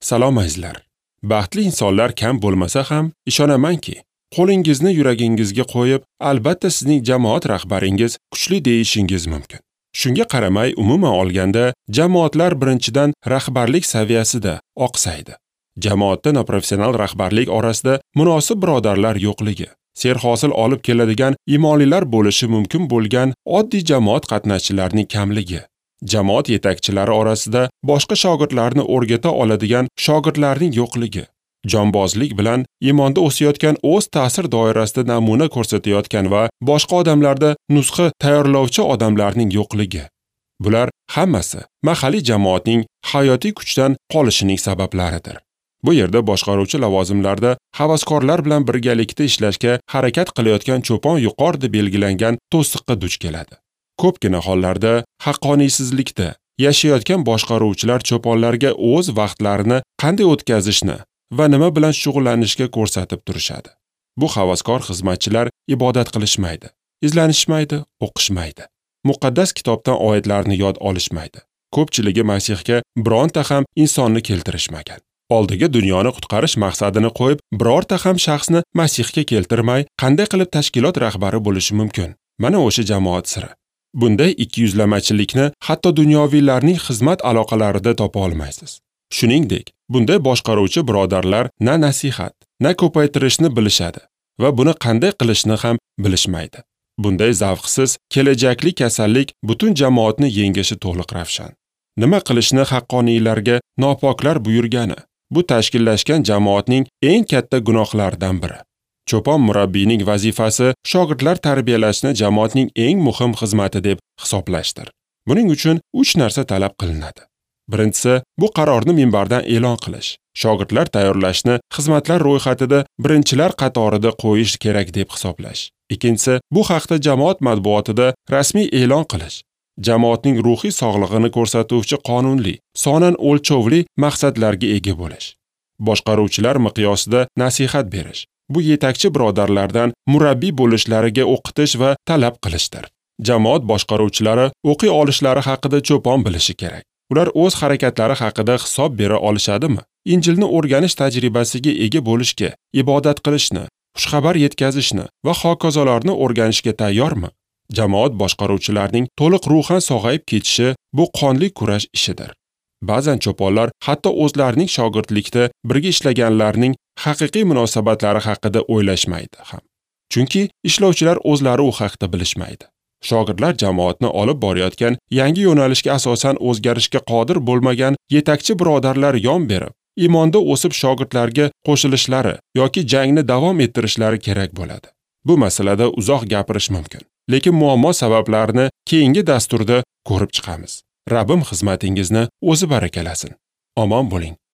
Salom azizlar. Baxtli insonlar kam bo'lmasa ham, ishonamanki, qo'lingizni yuragingizga qo'yib, albatta sizning jamoat rahbaringiz kuchli deyishingiz mumkin. Shunga qaramay, umuman olganda, jamoatlar birinchidan rahbarlik saviyasida oqsaydi. Jamoatda noprofessional rahbarlik orasida munosib birodarlar yo'qligi, serhosil olib keladigan imonlilar bo'lishi mumkin bo'lgan oddiy jamoat qatnashchilarining kamligi, jamoat yetakchilari orasida boshqa shogirdlarni o'rgata oladigan shogirdlarning yo'qligi, jonbozlik bilan iymonda o'sayotgan, o'z ta'sir doirasida namuna ko'rsatayotgan va boshqa odamlarda nusxa tayyorlovchi odamlarning yo'qligi. Bular hammasi mahalliy jamoatning hayotiy kuchdan qolishining sabablaridir. Bu yerda boshqaruvchi lavozimlarda havaskorlar bilan birgalikda ishlashga harakat qilayotgan cho'pon yuqorida belgilangan to'siqqa duch keladi. Ko'pgina hollarda haqqoniysizlikda yashayotgan boshqaruvchilar cho'ponlarga o'z vaqtlarini qanday o'tkazishni va nima bilan shug'ullanishga ko'rsatib turishadi. Bu havaskor xizmatchilar ibodat qilishmaydi, izlanishmaydi, o'qishmaydi. Muqaddas kitobdan oyatlarni yod olishmaydi. Ko'pchiligi Masihga bironta ham insonni keltirishmagan. Oldiga dunyoni qutqarish maqsadini qo'yib, birorta ham shaxsni Masihga keltirmay, qanday qilib tashkilot rahbari bo'lishi mumkin? Mana o'sha jamoat siri. Bunday ikkiyuzlamachilikni hatto dunyoviylarning xizmat aloqalarida topa olmaysiz. Shuningdek, bunday boshqaruvchi birodarlar na nasihat, na ko'paytirishni bilishadi va buni qanday qilishni ham bilishmaydi. Bunday zavqsiz kelajakli kasallik butun jamoatni yengishi to'liq ravshan. Nima qilishni haqqoniylarga nopoklar buyurgani, bu tashkillashgan jamoatning eng katta gunohlaridan biri. Cho'pon murabbiyning vazifasi shogirdlar tarbiyalashni jamoatning eng muhim xizmati deb hisoblashdir. Buning uchun 3 narsa talab qilinadi. Birinchisi, bu qarorni minbardan e'lon qilish. Shogirdlar tayyorlashni xizmatlar ro'yxatida birinchilar qatorida qo'yish kerak deb hisoblash. Ikkinchisi, bu haqda jamoat matbuotida rasmiy e'lon qilish. Jamoatning ruhiy sog'lig'ini ko'rsatuvchi qonunli, sonan o'lchovli maqsadlarga ega bo'lish. Boshqaruvchilar miqyosida nasihat berish. Bu yetakchi birodarlardan murabbiy bo'lishlariga o'qitish va talab qilishdir. Jamoat boshqaruvchilari o'qiy olishlari haqida cho'pon bilishi kerak. Ular o'z harakatlari haqida hisob bera olishadimi? Injilni o'rganish tajribasiga ega bo'lishga, ibodat qilishni, xushxabar yetkazishni va hokazolarni o'rganishga tayyormi? Jamoat boshqaruvchilarining to'liq ruhan sog'ayib ketishi bu qonli kurash ishidir. Ba'zan cho'ponlar hatto o'zlarining shogirdlikda birga ishlaganlarning haqiqiy munosabatlari haqida o'ylashmaydi ham. Chunki ishlovchilar o'zlari u haqda bilishmaydi. Shogirdlar jamoatni olib borayotgan yangi yo'nalishga asosan o'zgarishga qodir bo'lmagan yetakchi birodarlar yon berib, iymonda o'sib shogirdlarga qo'shilishlari yoki jangni davom ettirishlari kerak bo'ladi. Bu masalada uzoq gapirish mumkin, lekin muammo sabablarini keyingi dasturda ko'rib chiqamiz. Rabbim xizmatingizni o'zi barakalasin. Omon bo'ling.